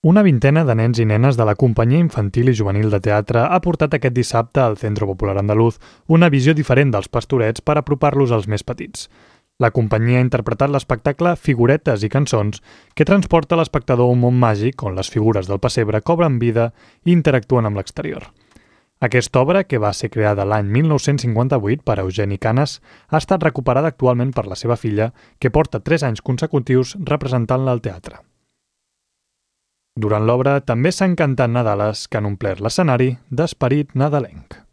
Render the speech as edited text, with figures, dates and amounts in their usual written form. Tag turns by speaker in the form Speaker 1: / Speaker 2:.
Speaker 1: Una vintena de nens i nenes de la Companyia Infantil i Juvenil de Teatre ha portat aquest dissabte al Centro Popular Andaluz una visió diferent dels Pastorets per apropar-los als més petits. La companyia ha interpretat l'espectacle Figuretes i cançons, que transporta l'espectador a un món màgic on les figures del pessebre cobren vida i interactuen amb l'exterior. Aquesta obra, que va ser creada l'any 1958 per Eugeni Canes, ha estat recuperada actualment per la seva filla, que porta 3 anys consecutius representant-la al teatre. Durant l'obra també s'han cantat nadales que han omplert l'escenari d'esperit nadalenc.